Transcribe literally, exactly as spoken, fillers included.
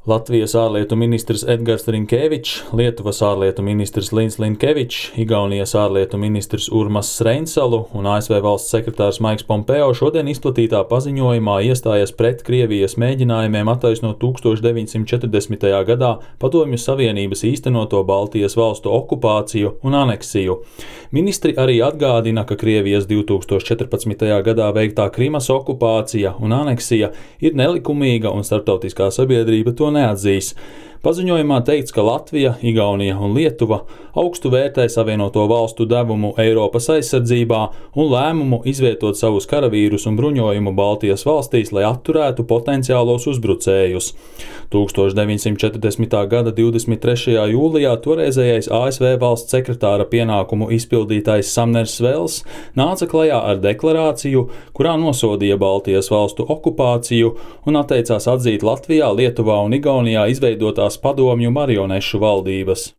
Latvijas ārlietu ministrs Edgars Rinkēvičs, Lietuvas ārlietu ministrs Lins Linkevičs, Igaunijas ārlietu ministrs Urmas Reinsalu un A S V valsts sekretārs Maiks Pompeo šodien izplatītā paziņojumā iestājas pret Krievijas mēģinājumiem attaisnot tūkstoš deviņsimt četrdesmitajā gadā Padomju Savienības īstenoto Baltijas valstu okupāciju un aneksiju. Ministri arī atgādina, ka Krievijas divtūkstoš četrpadsmitajā gadā veiktā Krimas okupācija un aneksija ir nelikumīga un starptautiskā sabiedrība to neatzīs. Paziņojumā teikts, ka Latvija, Igaunija un Lietuva augstu vērtē Savienoto valstu devumu Eiropas aizsardzībā un lēmumu izvietot savus karavīrus un bruņojumu Baltijas valstīs, lai atturētu potenciālos uzbrucējus. tūkstoš deviņsimt četrdesmitā gada divdesmit trešajā jūlijā toreizējais A S V valsts sekretāra pienākumu izpildītājs Samners Svels nāca klajā ar deklarāciju, kurā nosodīja Baltijas valstu okupāciju un atteicās atzīt Latvijā, Lietuvā un Igaunijā izveidotās padomju marionešu valdības.